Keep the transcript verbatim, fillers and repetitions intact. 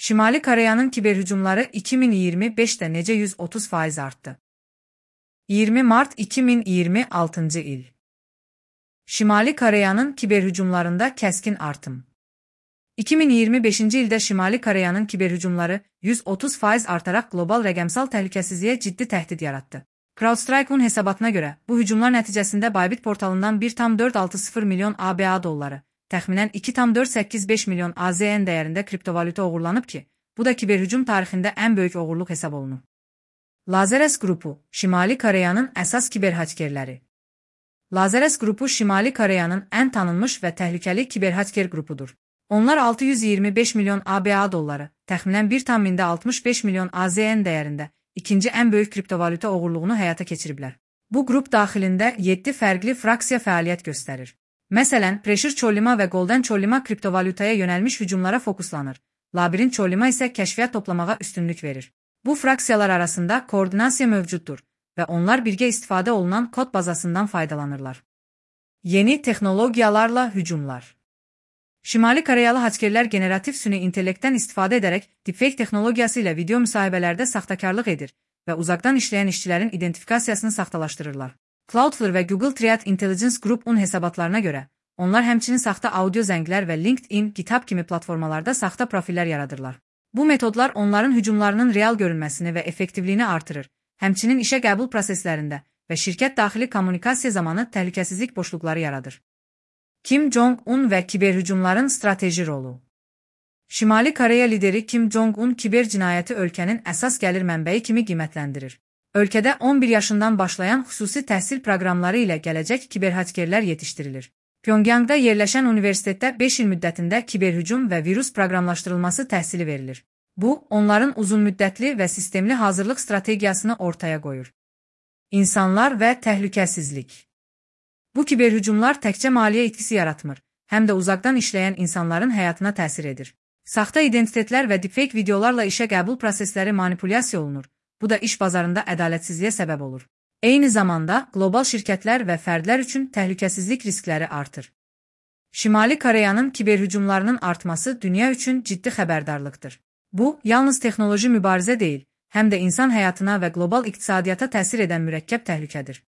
Şimali Koreyanın kiberhücumları iki min iyirmi beşdə necə yüz otuz faiz artdı? iyirmi mart iki min iyirmi altıncı il. Şimali Koreyanın kiberhücumlarında kəskin artım. iki min iyirmi beşinci ildə Şimali Koreyanın kiberhücumları yüz otuz faiz artaraq qlobal rəqəmsal təhlükəsizliyə ciddi təhdid yaratdı. CrowdStrike'un hesabatına görə, bu hücumlar nəticəsində Bybit portalından bir tam dörd altı sıfır milyon A B A dolları, təxminən iki tam dörd səkkiz beş milyon A Z N dəyərində kriptovalyuta oğurlanıb ki, bu da kiberhücum tarixində ən böyük oğurluq hesab olunur. Lazerus qrupu, Şimali Koreyanın əsas kiberhakerləri. Lazerus qrupu Şimali Koreyanın ən tanınmış və təhlükəli kiberhaker qrupudur. Onlar altı yüz iyirmi beş milyon A B A dolları, təxminən bir tam altmış beş milyon A Z N dəyərində ikinci ən böyük kriptovalyuta oğurluğunu həyata keçiriblər. Bu qrup daxilində yeddi fərqli fraksiya fəaliyyət göstərir. Məsələn, Pressure Çollima və Golden Çollima kriptovalyutaya yönəlmiş hücumlara fokuslanır. Labirint Çollima isə kəşfiyyat toplamağa üstünlük verir. Bu fraksiyalar arasında koordinasiya mövcuddur və onlar birgə istifadə olunan kod bazasından faydalanırlar. Yeni texnologiyalarla hücumlar. Şimali Koreyalı hakerlər generativ süni intellektdən istifadə edərək deepfake texnologiyası ilə video müsahibələrdə saxtakarlıq edir və uzaqdan işləyən işçilərin identifikasiyasını saxtalaşdırırlar. Cloudflare və Google Threat Intelligence Group'un hesabatlarına görə, onlar həmçinin saxta audio zənglər və LinkedIn, GitHub kimi platformalarda saxta profillər yaradırlar. Bu metodlar onların hücumlarının real görünməsini və effektivliyini artırır, həmçinin işə qəbul proseslərində və şirkət daxili kommunikasiya zamanı təhlükəsizlik boşluqları yaradır. Kim Jong-un və kiberhücumların strateji rolu. Şimali Koreya lideri Kim Jong-un kiber cinayəti ölkənin əsas gəlir mənbəyi kimi qiymətləndirir. Ölkədə on bir yaşından başlayan xüsusi təhsil proqramları ilə gələcək kiberhakerlər yetişdirilir. Pyongyangda yerləşən universitetdə beş il müddətində kiberhücum və virus proqramlaşdırılması təhsili verilir. Bu, onların uzunmüddətli və sistemli hazırlıq strategiyasını ortaya qoyur. İnsanlar və təhlükəsizlik. Bu kiberhücumlar təkcə maliyyə itkisi yaratmır, həm də uzaqdan işləyən insanların həyatına təsir edir. Saxta identitetlər və deepfake videolarla işə qəbul prosesləri manipulyasiya olunur. Bu da iş bazarında ədalətsizliyə səbəb olur. Eyni zamanda, qlobal şirkətlər və fərdlər üçün təhlükəsizlik riskləri artır. Şimali Koreyanın kiberhücumlarının artması dünya üçün ciddi xəbərdarlıqdır. Bu, yalnız texnoloji mübarizə deyil, həm də insan həyatına və qlobal iqtisadiyyata təsir edən mürəkkəb təhlükədir.